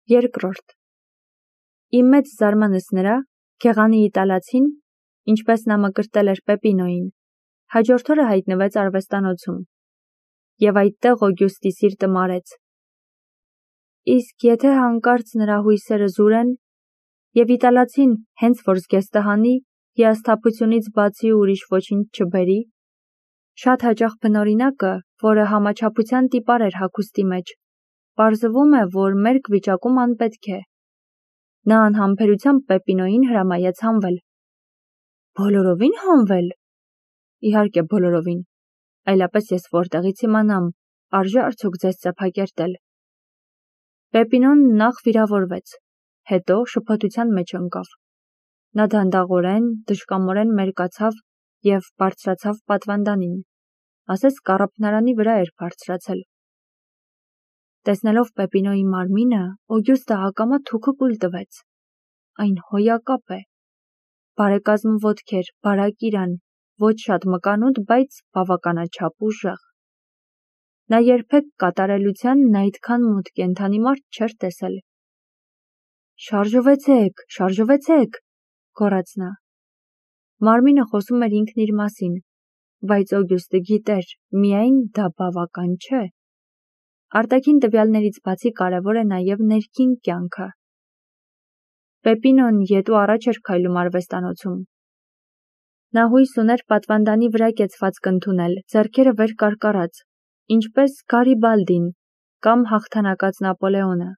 Երկրորդ. Իմ մեծ զարմանս նրա, գեղանի իտալացին, ինչպես նա մկրտել էր Պեպինոյին, հաջորդ օրը հայտնվեց արվեստանոցում, և այդտեղ Օգյուստի սիրտը մարեց։ Իսկ եթե հանկարծ նրա հույսերը զուրեն, և իտալացին հենց որ զգեստը հանի, հիասթափությունից բացի ուրիշ ոչինչ չբերի, շատ հաճախ բնօրինակը, որը համաչափության տիպար էր հագուստի մեջ, պարզվում է, որ մերկ վիճակում անպետք է։ Նա անհամբերությամբ Պեպինոյին հրամայեց հանվել։ Բոլորովին հանվել։ Իհարկե բոլորովին, այլապես ես որտեղից իմանամ, արժե արդյոք ձեզ ծեփակերտել։ Պեպինոն նախ վիրավորվեց, հետո շփոթության մեջ ընկավ։ Նա դանդաղորեն, դժկամորեն մերկացավ և բարձրացավ պատվանդանին, ասես կառափնարանի վրա էր բարձրացել։ Տեսնելով Պեպինոյի մարմինը, Օգյուստը ակամա թուքը կուլ տվեց։ Այն հոյակապ է։ Բարեկազմ ոտքեր, բարակ իրան, ոչ շատ մկանուտ, բայց բավականաչափ ուժեղ։ Նա երբեք կատարելությանն այդքան մոտ կենդանի մարդ չէր տեսել։ Շարժվեցեք, շարժվեցեք, գոռաց նա։ Մարմինը խոսում էր ինքն իր մասին, բայց Օգյուստը գիտեր, միայն դա բավական չէ։ Արտաքին տվյալներից բացի կարևոր է նաև ներքին կյանքը։ Պեպինոն ետ ու առաջ էր քայլում արվեստանոցում։ Նա հույս ուներ պատվանդանի վրա կեցվածք ընդունել, ձեռքերը վեր կարկառած, ինչպես Գարիբալդին կամ հաղթանակած Նապոլեոնը։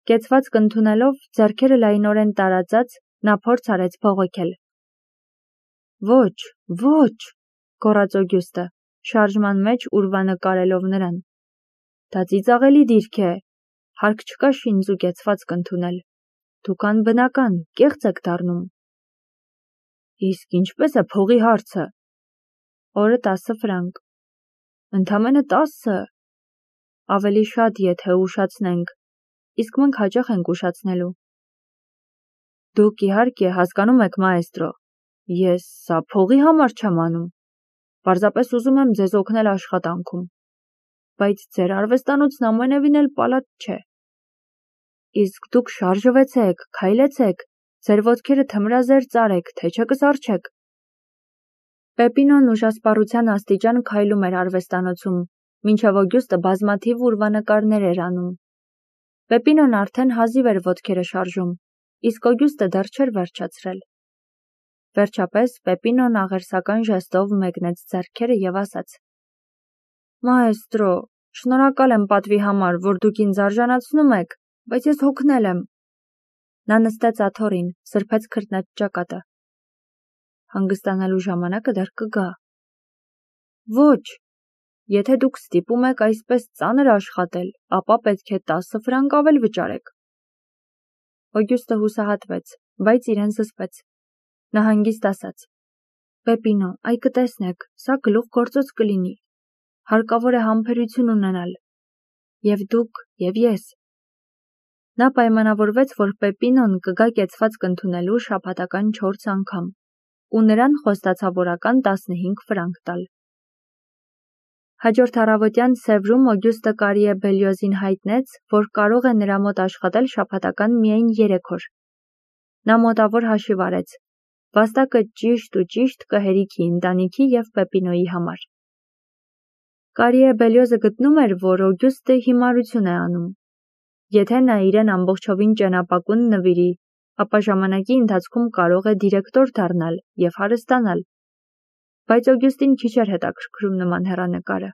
Կեցվածք ընդունելով, ձեռքերը լայնորեն տարածած, նա փորձ արեց բողոքել։ Ոչ, ոչ, գոռաց Օգյուստը, շարժման մեջ ուրվանկարելով նրան։ Դա ծիծաղելի դիրք է, հարկ չկա շինձ ու կեցվածք ընդունել։ Դուք անբնական, կեղծ եք դառնում։ Իսկ ինչպես է փողի հարցը։ Օրը 10 ֆրանկ։ Ընդամենը 10։ Ավելի շատ, եթե ուշացնենք, իսկ մենք հաճախ ենք ուշացնելու։ Դուք իհարկե հասկանում եք, մաեստրո, ես սա փողի համար չեմ անում, պարզապես ուզում եմ ձեզ օգնել աշխատանքում, բայց ձեր արվեստանոցն ամենևին էլ պալատ չէ։ Իսկ դուք շարժվեցեք, քայլեցեք, ձեր ոտքերը թմրազերծ արեք, թե չէ կսառչեք։ Պեպինոն ուժասպառության աստիճան քայլում էր արվեստանոցում, մինչև Օգյուստը բազմաթիվ ուրվանկարներ էր անում։ Պեպինոն արդեն հազիվ էր ոտքերը շարժում, իսկ Օգյուստը դեռ չէր վերջացրել։ Վերջապես Պեպինոն աղերսական ժեստով մեկնեց ձեռքերը և ասաց. Մաեստրո, շնորհակալ եմ պատվի համար, որ դուք ինձ արժանացնում եք, բայց ես հոգնել եմ։ Նա նստեց աթոռին, սրբեց քրտնաջակատը։ Հանգստանալու ժամանակը դեռ կգա։ Ոչ, եթե դուք ստիպում եք այսպես ծանր աշխատել, ապա պետք է 10 ֆրանկ ավել վճարեք։ Օգյուստը հուսահատվեց, բայց իրեն զսպեց։ Նա հանգիստ ասաց. Պեպինո, այ կտեսնեք, սա գլուխգործոց կլինի։ Հարկավոր է համբերություն ունենալ։ Եվ դուք, եւ ես։ Նա պայմանավորվեց, որ Պեպինոն կգա կեցվածք ընդունելու շաբաթական 4 անգամ, ու նրան խոստացավ օրական 15 ֆրանկ տալ։ Հաջորդ առավոտյան Սևրում Օգյուստը Կարիե Բելյոզին հայտնեց, որ կարող է նրա մոտ աշխատել շաբաթական միայն 3 օր։ Նա մոտավոր հաշիվ արեց։ Վաստակը ճիշտ ու ճիշտ կհերիքի ընտանիքի և Պեպինոյի համար։ Կարիե Բելյոզը գտնում էր, որ Օգյուստը հիմարություն է անում։ Եթե նա իրեն ամբողջովին ճենապակուն նվիրի, ապա ժամանակի ընթացքում կարող է դիրեկտոր դառնալ և հարստանալ։ Բայց Օգյուստին քիչ էր հետաքրքրում նման հեռանկարը։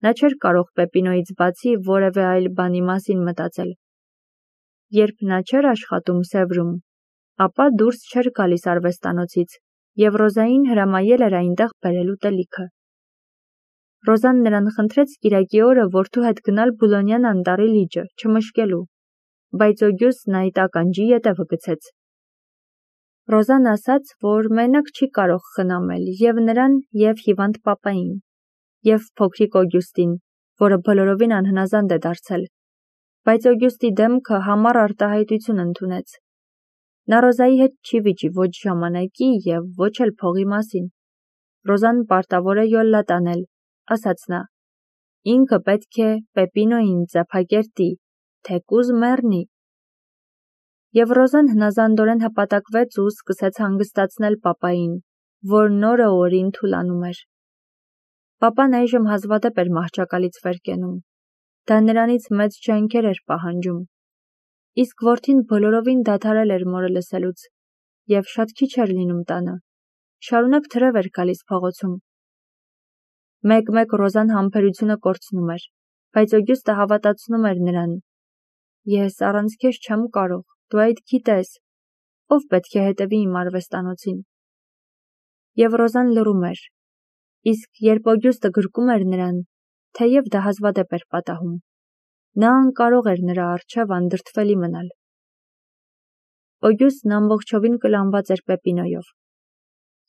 Նա չէր կարող Պեպինոյից բացի որևէ այլ բանի մասին մտածել։ Երբ նա չէր աշխատում Սևրում, ապա դուրս չէր գալիս արվեստանոցից, և Ռոզային հրամայել էր այնտեղ բերել ուտելիքը։ Ռոզան նրան խնդրեց կիրակի օրը որդու հետ գնալ Բուլոնյան անտառի լիճը, չմշկելու, բայց Օգյուստն այդ ականջի ետևը գցեց։ Ռոզան ասաց, որ մենակ չի կարող խնամել և նրան, և հիվանդ պապային, և փոքրիկ Օգյուստին, որը բոլորովին անհնազանդ է դարձել, բայց Օգյուստի դեմքը համառ արտահայտություն ընդունեց։ Նա Ռոզայի հետ չի վիճի ոչ ժամանակի և ոչ էլ փողի մասին։ Ռոզան պարտավոր է յոլլա տանել, ասաց նա։ Ինքը պետք է Պեպինոյին ծեփակերտի, թեկուզ մեռնի։ Եվ Ռոզան հնազանդորեն հպատակվեց ու սկսեց հանգստացնել պապային, որն օրը օրին թուլանում էր։ Պապան այժմ հազվադեպ էր մահճակալից վեր կենում։ Դա նրանից մեծ ջանքեր էր պահանջում։ Իսկ որդին բոլորովին դադարել էր մորը լսելուց, և շատ քիչ էր լինում տանը։ Շարունակ թրև էր գալիս փողոցում։ Մեկ-մեկ Ռոզան համբերությունը կորցնում էր, բայց Օգյուստը հավատացնում էր նրան. «Ես առանց քեզ չեմ կարող, դու այդ գիտես, ով պետք է հետևի իմ արվեստանոցին»։ Եվ Ռոզան լռում էր, իսկ երբ Օգյուստը գրկում էր նրան, թեև դա հազվադեպ էր պատահում, նա անկարող էր նրա առջև անդրդվելի մնալ։ Օգյուստն ամբողջովին կլանված էր Պեպինոյով։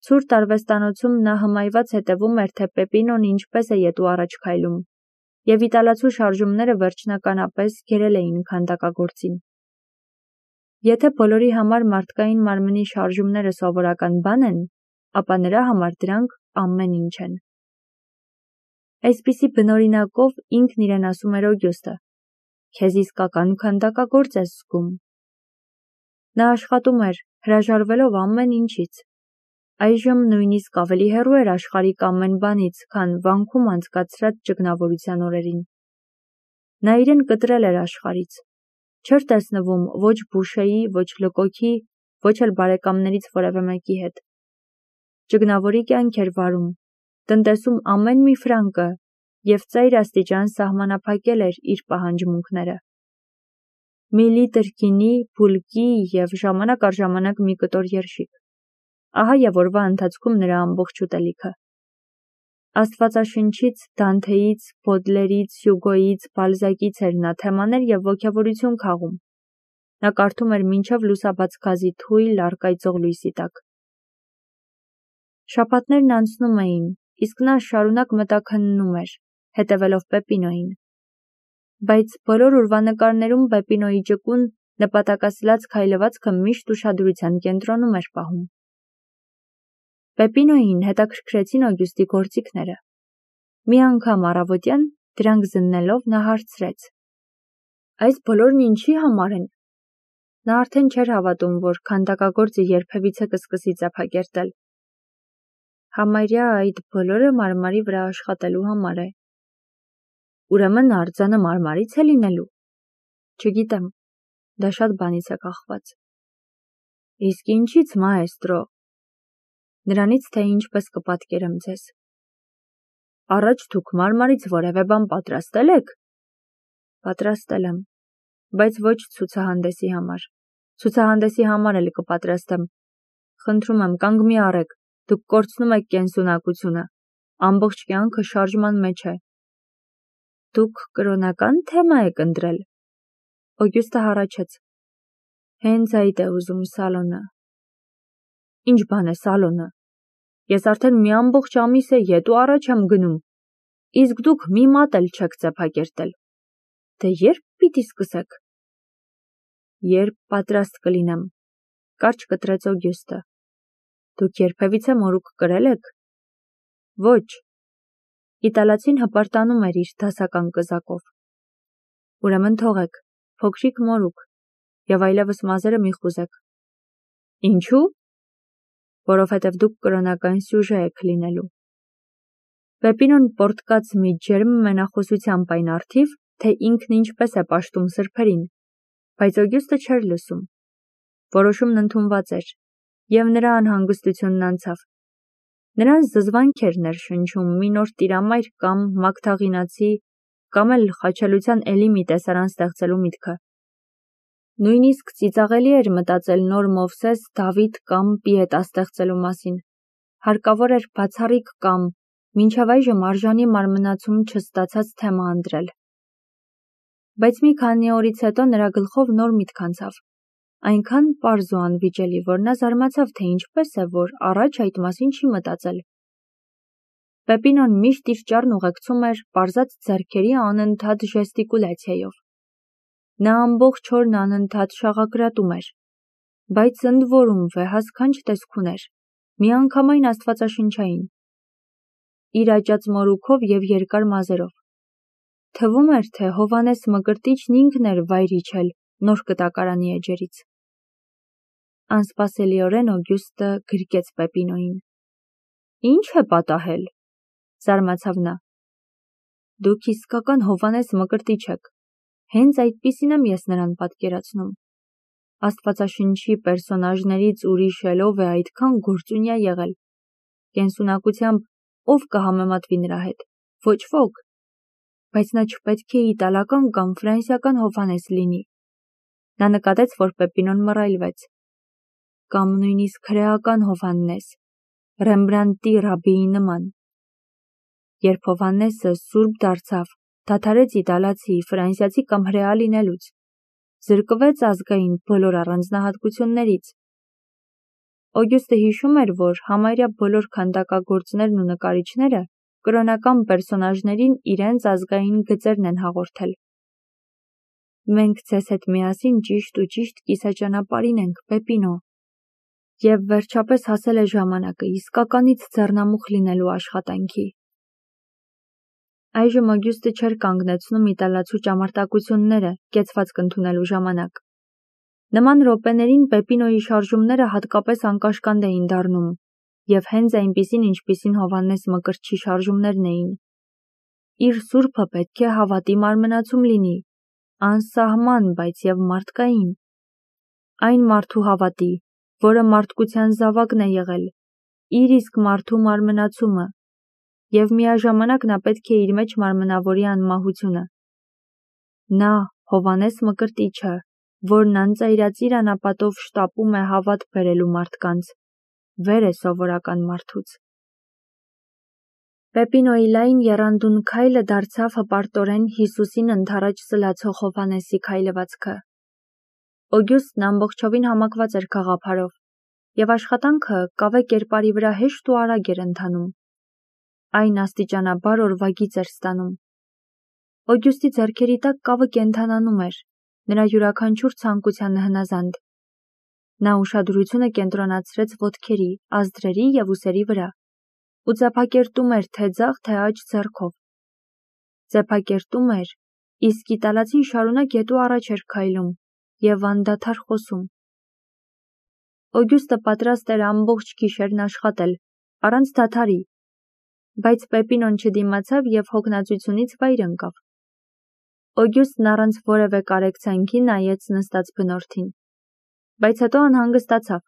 Ցուրտ արվեստանոցում նա հմայված հետևում էր, թե Պեպինոն ինչպես է ետու առաջ քայլում, և իտալացու շարժումները վերջնականապես գերել էին քանդակագործին։ Եթե բոլորի համար մարդկային մարմնի շարժումները սովորական բան են, ապա նրա համար դրանք ամեն ինչ են։ Այսպիսի բնօրինակով ինքն իրեն ասում էր Օգյուստը. «Քեզ իսկական քանդակագործ ես զգում»։ Նա աշխատում էր, հրաժարվելով ամեն ինչից։ Այժմ նույնիսկ ավելի հեռու էր աշխարհիկ ամեն բանից, քան վանքում անցկացրած ճգնավորության օրերին։ Նա իրեն կտրել էր աշխարհից։ Չէր տեսնվում ոչ Բուշեի, ոչ Լկոքի, ոչ էլ բարեկամներից որևէ մեկի հետ։ Ճգնավորի կյանք էր վարում, տնտեսում ամեն մի ֆրանկը և ծայր աստիճան սահմանափակել էր իր պահանջմունքները։ Մի լիտր գինի, բուլկի և ժամանակ առ ժամանակ մի կտոր երշիկ։ Ահա և օրվա ընթացքում նրա ամբողջ ուտելիքը։ Աստվածաշնչից, Դանթեից, Բոդլերից, Հյուգոյից, Բալզակից էր նա թեմաներ և ոգևորություն քաղում։ Նա կարդում էր մինչև լուսաբաց գազի թույլ, առկայծող լույսի տակ։ Շաբաթներն անցնում էին, իսկ նա շարունակ մտաքննում էր, հետևելով Պեպինոյին։ Բայց բոլոր ուրվանկարներում Պեպինոյի ճկուն, նպատակասլաց քայլվածքը միշտ ուշադրության կենտրոնում էր պահում։ Պեպինոյին հետաքրքրեցին Օգյուստի գործիքները։ Մի անգամ առավոտյան, դրանք զննելով, նա հարցրեց. «Այս բոլորն ինչի համար են»։ Նա արդեն չէր հավատում, որ քանդակագործը երբևիցե կսկսի ծափակերտել։ Համարյա այդ բոլորը մարմարի վրա աշխատելու համար է։ Ուրեմն արձանը մարմարից է լինելու։ Չգիտեմ, դա շատ բանից է կախված։ Իսկ ինչից, մաեստրո։ Նրանից, թե ինչպես կպատկերեմ ձեզ։ Առաջ դուք մարմարից որևէ բան պատրաստել եք։ Պատրաստել եմ, բայց ոչ ցուցահանդեսի համար։ Ցուցահանդեսի համար էլ կպատրաստեմ։ Խնդրում եմ, կանգ մի առեք, դուք կորցնում եք կենսունակությունը։ Ամբողջ կյանքը շարժման մեջ է։ Դուք կրոնական թեմա եք ընտրել։ Օգյուստը հառաչեց։ Հենց այդ է ուզում Սալոնը։ Ինչ բան է Սալոնը։ Ես արդեն մի ամբողջ ամիս է ետու առաջ եմ գնում, իսկ դուք մի մատ էլ չեք ծափակերտել։ Դե երբ պիտի սկսեք։ Երբ պատրաստ կլինեմ, կարճ կտրեց Օգյուստը։ Դուք երբևիցե մորուք կրել եք։ Ոչ։ Իտալացին հպարտանում էր իր դասական կզակով։ Ուրեմն թողեք, փոքրիկ մորուք, և այլևս մազերը մի խուզեք։ Ինչու։ Որովհետև դուք կրոնական սյուժե եք լինելու։ Պեպինոն պոռթկաց մի ջերմ մենախոսությամբ այն առթիվ, թե ինքն ինչպես է պաշտում սրբերին, բայց Օգյուստը չէր լսում։ Որոշումն ընդունված էր, և նրա անհանգստությունն անցավ։ Նրան զզվանք էր ներշնչում մի նոր տիրամայր կամ մագդաղինացի, կամ էլ խաչելության էլի մի տեսարան ստեղծելու միտքը։ Նույնիսկ ծիծաղելի էր մտածել նոր Մովսես, Դավիթ կամ Պիետա ստեղծելու մասին։ Հարկավոր էր բացառիկ կամ մինչև այժմ արժանի մարմնացում չստացած թեմա ընտրել։ Բայց մի քանի օրից հետո նրա գլխով նոր միտք անցավ։ Այնքան պարզ ու անվիճելի, որ նա զարմացավ, թե ինչպես է, որ առաջ այդ մասին չի մտածել։ Պեպինոն միշտ իր ճառն ուղեկցում էր պարզած ձեռքերի անընդհատ ժեստիկուլյացիայով։ Նա ամբողջ օրն անընդհատ շաղակրատում էր, բայց ընդ որում վեհասքանչ տեսք ուներ, միանգամայն աստվածաշնչային։ Իր աճած մորուքով և երկար մազերով։ թվում էր, թե Հովհաննես Մկրտիչն ինքն էր վայր իջել նոր կտակարանի էջերից։ Անսպասելիորեն Օգյուստը գրկեց Պեպինոյին։ Ինչ է պատահել, զարմացավ նա։ Դուք իսկական Հովհաննես Մկրտիչ եք, հենց այդպիսին եմ ես նրան պատկերացնում։ Աստվածաշնչի պերսոնաժներից ուրիշ ելով է այդքան գործունյա եղել։ Կենսունակությամբ ով կհամեմատվի նրա հետ, ոչ ոք, բայց նա չպետք է իտալական կամ ֆրանսիական Հովհաննես լինի։ Նա նկատեց, որ Պեպինոն մռայլվեց։ Կամ նույնիսկ հրեական Հովհաննես, Ռեմբրանտի ռաբբիի նման։ Երբ Հովհաննեսը սուրբ դարձավ, դադարեց իտալացի, ֆրանսիացի կամ հրեա լինելուց, զրկվեց ազգային բոլոր առանձնահատկություններից։ Օգյուստը հիշում էր, որ համարյա բոլոր քանդակագործներն ու նկարիչները կրոնական պերսոնաժներին իրենց ազգային գծերն են հաղորդել։ Մենք ձեզ հետ միասին ճիշտ ու ճիշտ կիսաճանապարհին ենք, Պեպինո, և վերջապես հասել է ժամանակը իսկականից ձեռնամուխ լինելու աշխատանքի։ Այժմ Օգյուստը չէր կանգնեցնում իտալացու ճամարտակությունները կեցվածք ընդունելու ժամանակ։ Նման րոպեներին Պեպինոյի շարժումները հատկապես անկաշկանդ էին դառնում, և հենց այնպիսին, ինչպիսին Հովհաննես Մկրտչի շարժումներն էին։ Իր սուրբը պետք է հավատի մարմնացում լինի, անսահման, բայց և մարդկային։ Այն մարդու հավատի, որը մարդկության զավակն է եղել, իր իսկ մարդու մարմնացումը, և միաժամանակ նա պետք է իր մեջ մարմնավորի անմահությունը։ Նա, Հովհաննես Մկրտիչը, որն անծայրածիր անապատով շտապում է հավատ բերելու մարդկանց, վեր է սովորական մարդուց։ Պեպինոյի լայն եռանդուն քայլը դարձավ հպարտորեն Հիսուսին ընդառաջ սլացող Հովհաննեսի քայլվածքը։ Օգյուստն ամբողջովին համակված էր գաղափարով, և աշխատանքը կավե կերպարի վրա հեշտ ու արագ էր ընթանում։ Այն աստիճանաբար օրվագիծ էր ստանում։ Օգյուստի ձեռքերի տակ կավը կենդանանում էր, նրա յուրաքանչյուր ցանկությանը հնազանդ։ Նա ուշադրությունը կենտրոնացրեց ոտքերի, ազդրերի և ուսերի վրա ու ձեփակերտում էր թե ձախ, թե աջ ձեռքով։ Ձեփակերտում էր, իսկ իտալացին շարունակ ետ ու առաջ էր քայլում և անդադար խոսում։ Օգյուստը պատրաստ էր ամբողջ գիշերն աշխատել, առանց դադարի, բայց Պեպինոն չդիմացավ և հոգնածությունից վայր ընկավ։ Օգյուստն առանց որևէ կարեկցանքի նայեց նստած բնորդին, բայց հետո անհանգստացավ.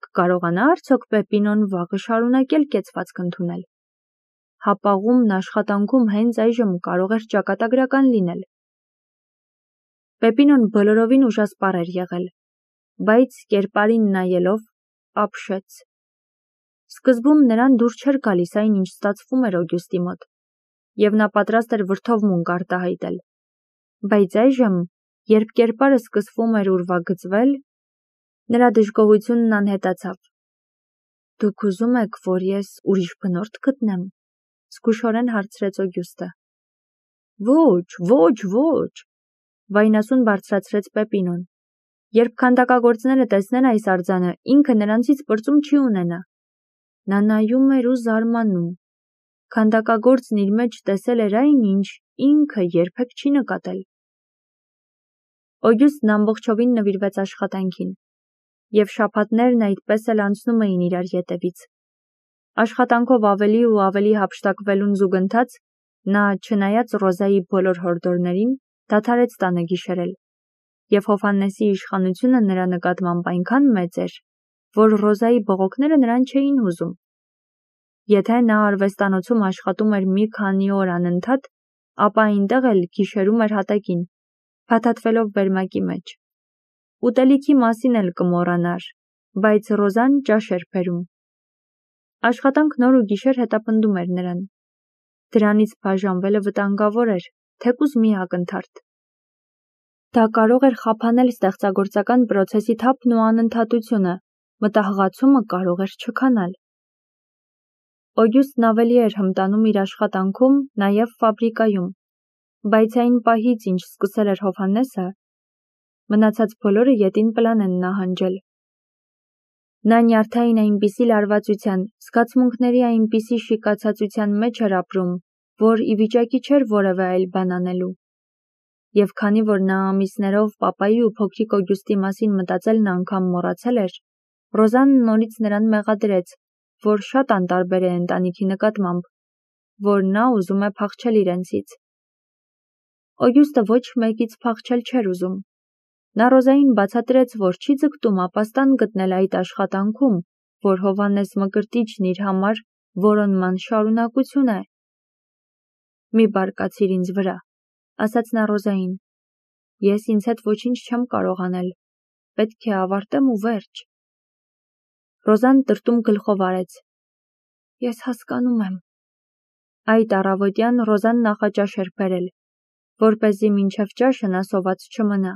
կկարողանա՞ արդյոք Պեպինոն վաղը շարունակել կեցվածք ընդունել։ Հապաղումն աշխատանքում հենց այժմ կարող էր ճակատագրական լինել։ Պեպինոն բոլորովին ուժասպառ էր եղել, բայց կերպարին նայելով ապշեց։ Սկզբում նրան դուր չէր գալիս այն, ինչ ստացվում էր Օգյուստի մոտ, և նա պատրաստ էր վրդովմունք արտահայտել, բայց այժմ, երբ կերպարը սկսվում էր ուրվագծվել, նրա դժգոհությունն անհետացավ։ Դուք ուզում եք, որ ես ուրիշ բնորդ գտնեմ, զգուշորեն հարցրեց Օգյուստը։ Ոչ, վայնասուն բարձրացրեց Պեպինոն։ Երբ քանդակագործները տեսնեն այս արձանը, ինքը նրանցից պրծում չի ունենա։ Նա նայում էր ու զարմանում։ Քանդակագործն իր մեջ տեսել էր այն, ինչ ինքը երբեք չի նկատել։ Օգյուստն ամբողջովին նվիրվեց աշխատանքին, և շաբաթներն այդպես էլ անցնում էին իրար ետևից։ Աշխատանքով ավելի ու ավելի հափշտակվելուն զուգընթաց, նա, չնայած Ռոզայի բոլոր հորդորներին, դադարեց տանը գիշերել, և Հովհաննեսի իշխանությունը նրա նկատմամբ այնքան մեծ էր, որ Ռոզայի բողոքները նրան չէին հուզում։ Եթե նա արվեստանոցում աշխատում էր մի քանի օր անընդհատ, ապա այնտեղ էլ գիշերում էր հատակին, փաթաթվելով վերմակի մեջ։ Ուտելիքի մասին էլ կմոռանար, բայց Ռոզան ճաշ էր բերում։ Աշխատանքն օր ու գիշեր հետապնդում էր նրան։ Դրանից բաժանվելը վտանգավոր էր, թեկուզ մի ակնթարթ։ Դա կարող էր խափանել ստեղծագործական պրոցեսի թափն ու անընդհատությունը, մտահղացումը կարող էր չքանալ։ Օգյուստն ավելի էր հմտանում իր աշխատանքում, նաև ֆաբրիկայում, բայց այն պահից, ինչ սկսել էր Հովհաննեսը, մնացած բոլորը ետին պլան են նահանջել։ Նա նյարդային այնպիսի լարվածության, զգացմունքների այնպիսի շիկացածության մեջ էր ապրում, որ ի վիճակի չէր որևէ այլ բան անելու։ Եվ քանի որ նա ամիսներով պապայի ու փոքրիկ Օգյուստի մասին մտածելն անգամ մոռացել էր, Ռոզան նորից նրան մեղադրեց, որ շատ անտարբեր է ընտանիքի նկատմամբ, որ նա ուզում է փախչել իրենցից։ Օգյուստը ոչ մեկից փախչել չէր ուզում։ Նա Ռոզային բացատրեց, որ չի ձգտում ապաստան գտնել այդ աշխատանքում, որ Հովհաննես Մկրտիչն իր համար որոնման շարունակություն է։ «Մի բարկացիր ինձ վրա», ասաց նա Ռոզային։ «Ես ինձ հետ ոչինչ չեմ կարող անել, պետք է ավարտեմ ու վերջ»։ Ռոզան տրտում գլխով արեց։ «Ես հասկանում եմ»։ Այդ առավոտյան Ռոզան նախաճաշ էր բերել, որպեսզի մինչև ճաշը նա սոված չմնա։